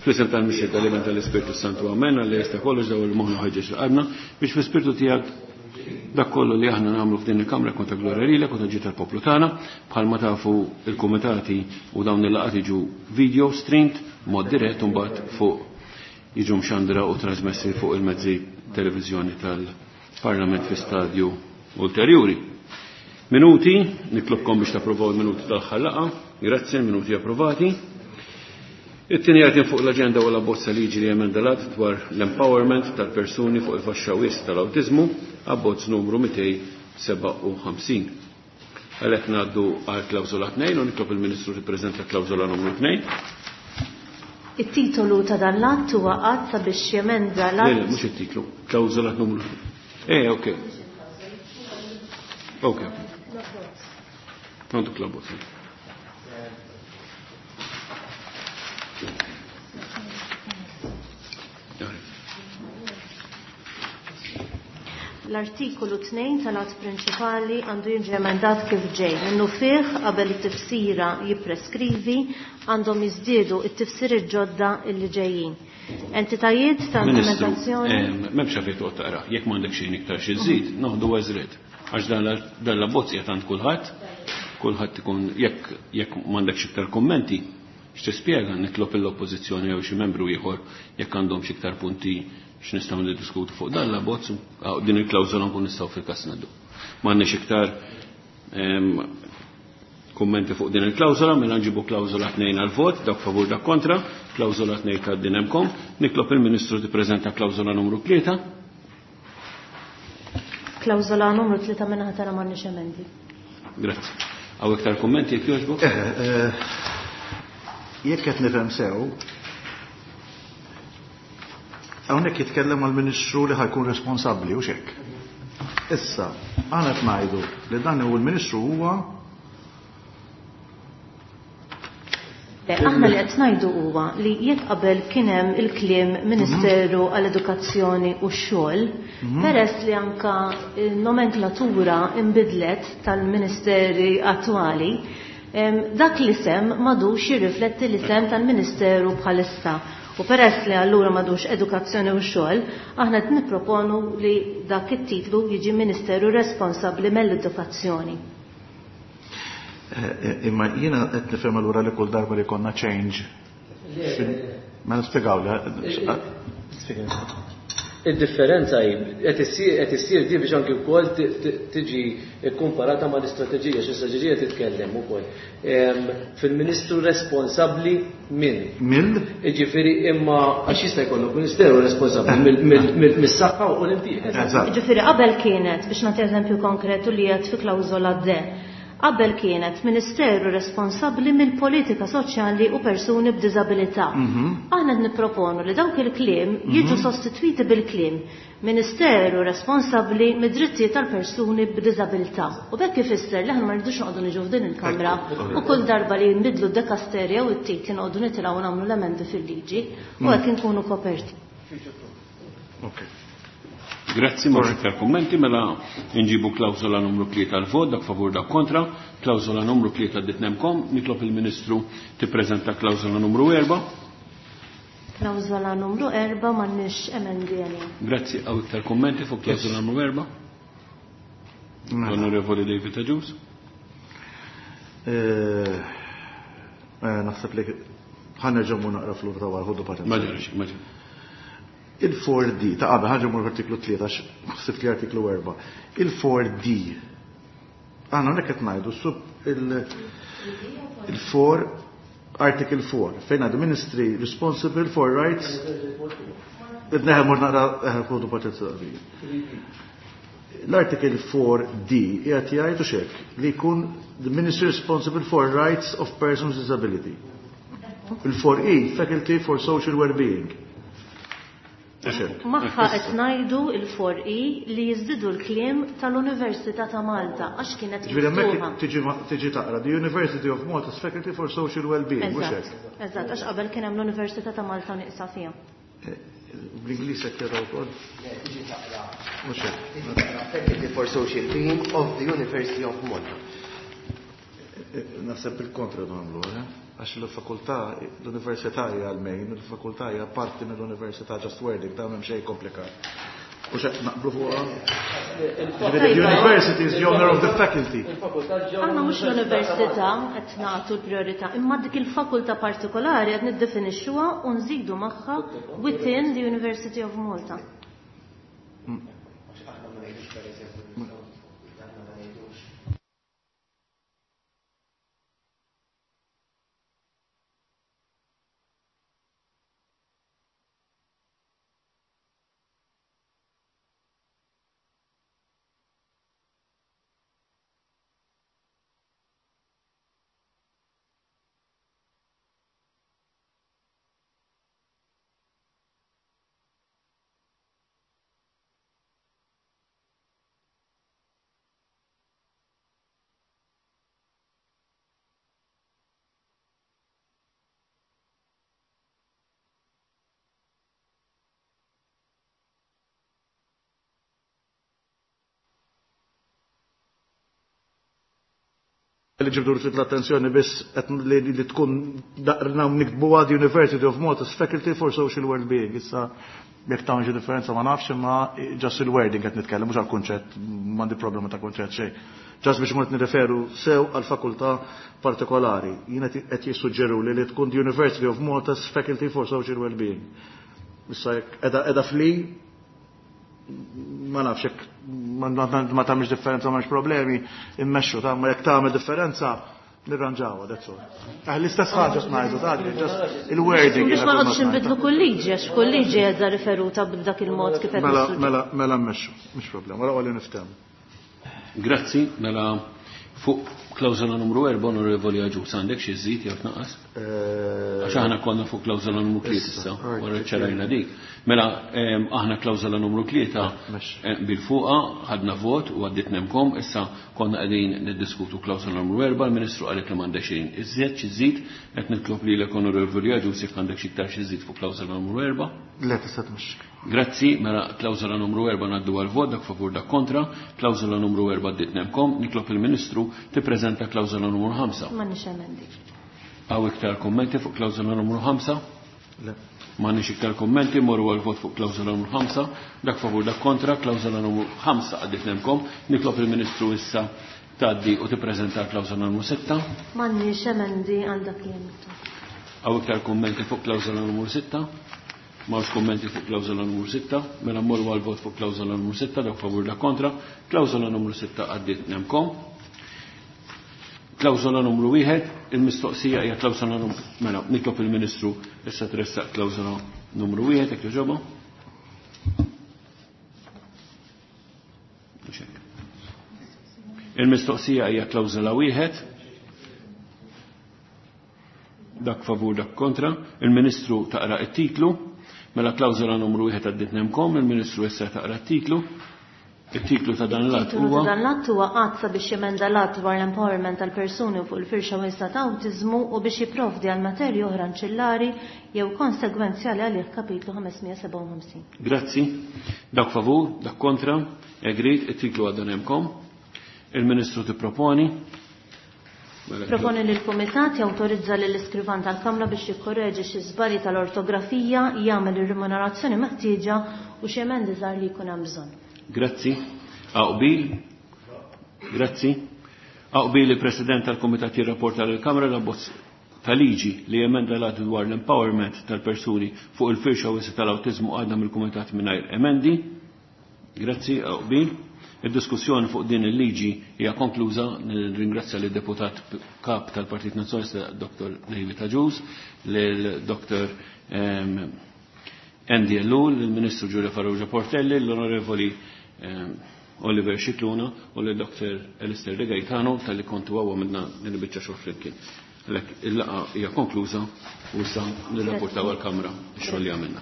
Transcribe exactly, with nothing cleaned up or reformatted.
Fl-isem tal-Missier tal-Iben tal-Ispirtu Santu Amen, għalli jista' kollox daw il-moħħna ħeġġeġ l-qalbna biex fl-Ispirtu tiegħek dak kollu li aħna nagħmlu f'din il-Kamra jkun ta' glorja lilek u ta' ġid tal-poplu tagħna, bħalma tafu il-kumitati u dawn il-laqgħat jiġu video streamed mod dirett u mbagħad fuq jiġu mxandra u trasmessi fuq il-mezzi televiżjoni tal-Parlament fi stadju ulterjuri. Minuti, nitlobkom biex tapprovaw il-minuti tal-aħħar laqgħa. Grazzi, minuti approvati. It-tieni item fuq l-aġenda huwa l-abbozz liġi li emenda l-att dwar l-empowerment tal-persuni fuq il-faxxa wies tal-awtiżmu, abbozz numru mitejn sebgħa u ħamsin. Għalhekk ngħaddu għal klawżola tnejn u nitlob il-Ministru tippreżenta klawżola numru tnejn. It-titolu ta' dan l-att huwa att sabiex jemenda l-att. Le, le, mhux it-titlu, klawżola numru tnejn. Eh, ok. Ok. Għandek l-abbozz. L-artikolu tnejn tal-att prinċipali għandu jiġi emendat kif ġej. Minnu fih qabel it-tifsira jippreskrivi għandhom jiżdiedu it-tifsir ġodda illi ġejjin. Entitajiet ta' Ministru, implementazzjoni. em, m'hemmx għalfejn toqgħod taqra. Jekk m'għandek xejn iktar xi żżid, noħdu għażriet. Għax dan l-, dan l-abbozz qiegħed għand kulħadd, kulħadd ikun jekk, jekk m'għandekx iktar kummenti, x'tispjega nitlob l-oppożizzjoni jew xi membru ieħor jekk għandhom xi iktar punti x'nistgħu niddiskutu fuq dan l-abbozz, aw, din il-klawżola nkun nistgħu fil-każ ngħaddu. M'għandniex iktar, em, kummenti fuq din il-klawżola, mela nġibu klawżola tnejn għal vot, dak favur dak kontra, klawżola tnejn ta' din hemmkom. Nitlob il-Ministru tippreżenta klawżola numru tlieta. Klawżola numru tlieta minn ħadd m'għandniex emendi. Grazzi. Hawn iktar kummenti jekk jogħġbok? Eh, eh, jekk qed nifhem sew, hawnhekk jitkellem għall-Ministru li ħajkun responsabbli u x'hekk. Issa, aħna qed ngħidu li dan hu l-Ministru huwa Le, aħna li qed ngħidu huwa li jekk qabel kien hemm il-kliem Ministeru għall-Edukazzjoni u x-Xogħol, Mhm. peress li anka n-nomenklatura inbidlet tal-Ministeri attwali, em, dak l-isem m'għadux jirrifletti l-isem tal-Ministeru bħalissa. U peress li allura m'għadux edukazzjoni u xogħol, aħna qed nipproponu li dak it-titlu jiġi Ministeru responsabbli mill-edukazzjoni. Eh, eh, imma jiena qed nifhem allura li kull darba li konna change. Ma nispjegaw le. Id-differenza hi qed issir, qed issir di biex anki wkoll ti-, ti-, tiġi kkumparata mal-istrateġija, xi strateġija titkellem ukoll. Em, fil-Ministru responsabbli minn. Mill? Jiġifieri imma għax jista' jkollok Ministeru responsabbli mill-, mill-, mill-, mis-saħħa u l-impjieg. Eżatt. Jiġifieri qabel kienet, biex nagħti eżempju konkretu li qed fi klawżola D, qabel kienet Ministeru responsabbli mill-politika soċjali u persuni b'diżabilità. Mhm. Aħna qed nipproponu li dawk il-kliem jiġu Mhm. sostitwiti bil-kliem Ministeru responsabbli mid-drittijiet tal-persuni b'diżabilità. U b'hekk ifisser li aħna ma rridux noqogħdu niġu f'din il-Kamra Ekku. u kull darba li nbidlu d-dekasterja u t-titli noqogħdu nitilgħu nagħmlu l-emendi fil-liġi u Mm. hekk inkunu koperti. Ok. Grazzi, ma iktar kummenti, mela nġibu klawżola numru tlieta għal vot, dak favur dak kontra, klawżola numru tlieta ditnemkom, nitlob il-Ministru tippreżenta klawżola numru erba'. Klawżola numru erba' m'għandniex emendi għalija. Grazzi, hawn iktar kummenti fuq klawżola numru erba'? Mela. L-Onorevoli David Agius. Eh, eh, naħseb li ħanerġgħu mmur naqra fl-ura ta' wara, ħodu paċenzja. Ma ġarx, ma ġarx. Il-four D, ta' qabel ħanġu mur artiklu tlieta, għax ħsibt li artiklu erba'. Il-four D, aħna hawnhekk qed ngħidu sub il-, il-four, article four, fejn għadu Ministry responsible for rights. Neħe mur naqra, eh, ħodu paċenzja daqsxejn. L-article four D qiegħed jgħid u xek li jkun the Ministry responsible for rights of persons with disability. Il-four E, Faculty for Social Wellbeing. Magħha qed ngħidu il-four E li jiżdidu l-kliem tal-Università ta' Malta għax kienet Ġifieri hemmhekk miftuħa. tiġi ma-, tiġi taqra the University of Malta's Faculty for Social Wellbeing, mhux Eżatt, hekk? eżatt, għax qabel kien hemm l-Università ta' Malta nieqsa fiha. Eh, bl-Ingliż qed jaraw ukoll? Le, tiġi taqra. Mhux hekk. Tiġi taqra Faculty for Social Being of the University of Malta. Eh, eh, naħseb bil-kontra nagħmlu, eh? Għax il-fakultà, l-università hija l-main, il-fakultà hija parti mill-università, just wording, ta' m'hemm xejn komplikat. U x'qed naqblu fuqha? The university is the owner of the faculty. Aħna mhux l-università qed nagħtu l-priorità, imma dik il-fakultà partikolari qed niddefinixxuha u nżidu magħha within the University of Malta. Li ġibdu l-attenzjoni biss li tkun daqrna niktbuha the University of Malta's Faculty for Social Wellbeing. Issa jekk tagħmel xi differenza ma nafx, imma just il-wording qed nitkellem, mhux għall-kunċett, m'għandi problema ta' kunċett xejn. Just biex mort nirreferu sew għal fakultà partikolari. Jien qed jissuġġeru li li tkun the University of Malta's Faculty for Social Wellbeing. Issa jekk qiegħda fli ma nafx jekk ma tagħmilx differenza m'hemmx problemi, immexxu ta' ma jekk tagħmel differenza nirranġawha, that's all. Ah, l-istess ħaġa ngħidu ta' just il-wording. Biex ma noqgħodux inbidlu kull liġi, għax kull liġi qiegħda riferuta b'dak il-mod kif qed. Mela mela mela mmexxu, mhux problema, wara li niftehmu. Grazzi, mela fuq klawżola numru erba' Onorevoli Agius, għandek xi żid jew tnaqqas? Għax aħna konna fuq klawżola numru tlieta issa, wara ċarajna dik. Mela aħna klawżola numru tlieta bil-fuqa ħadna vot u għaddit nemkom, issa konna qegħdin niddiskutu klawżola numru erba', il-Ministru qalet li m'għandek xejn iżjed xi żid, qed nitlob lilek Onorevoli Agius jekk għandek xi iktar xi żid fuq klawżola numru erba'. Le, tista' tmexxi. Grazzi, mela klawżola numru erba' ngħaddu għal vot, dak favur dak kontra, klawżola numru erba' għaddiet nemkom, nitlob il-Ministru tippreżenta klawżola numru ħamsa. M'għandniex emendi. Hawn iktar kummenti fuq klawżola numru ħamsa? Le. M'għandniex iktar kummenti, morru għal vot fuq klawżola numru ħamsa, dak favur dak kontra, klawżola numru ħamsa għaddiet nemkom, nitlob il-Ministru issa tgħaddi u tippreżenta klawżola numru sitta. M'għandniex emendi għal dak li hemm. Hawn iktar kummenti fuq klawżola numru sitta? M'hawnx kummenti fuq klawżola numru sitta, mela mmorru għal vot fuq klawżola numru sitta, dak favur dak kontra, klawżola numru sitta għaddiet nemkom. Klawżola numru wieħed, il-mistoqsija hija klawżola numru, mela nitlob il-Ministru issa tressaq klawżola numru wieħed jekk jogħġobha. Il-mistoqsija hija klawżola wieħed, dak favur dak kontra, il-Ministru taqra t-titlu, mela klawżola numru wieħed għaddiet nemkom, il-Ministru issa taqra t-titlu. Il-titlu ta' dan l-att huwa Dan l-att huwa att sabiex jemenda l-att dwar l-empowerment tal-persuni fuq il-firxa wiesgħa ta' awtiżmu u biex jipprovdi għal materji oħra anċillari jew konsegwenzjali għalih kapitlu ħames mija sebgħa u ħamsin. Grazzi. Dak favur, dak kontra, agreed, it-titlu għadda nemkom. Il-Ministru tipproponi. Proponi li l-Kumitat jawtorizza lill iskrivan tal-Kamra biex jikkorreġi xi żbalji tal-ortografija, jagħmel ir-remunerazzjoni meħtieġa u xi emendi żgħar li jkun hemm bżonn. Grazzi. Aqbil. Grazzi. Aqbil il-President tal-Kumitat jirrapporta lill-Kamra l-abbozz ta' liġi li jemenda l-att dwar l-empowerment tal-persuni fuq il-firxa wiesgħa tal-awtiżmu għadna mill-Kumitat mingħajr emendi. Grazzi, aqbil. Id-diskussjoni fuq din il-liġi hija konkluża. Nirringrazzja lid deputat kap tal-Partit Nazzjonalista Doktor David Agius, lil Doktor Andy Ellul, lill-Ministru Giulia Farrugia Portelli, l-Onorevoli Oliver Scicluna u lil Doktor Alistair De Gaetano tal-li kontu għawa minna nil-bicċa xogħol flimkien. Għalhekk il-laqgħa hija konkluża u issa nirrapportaw għall-Kamra x-xogħol li għamilna.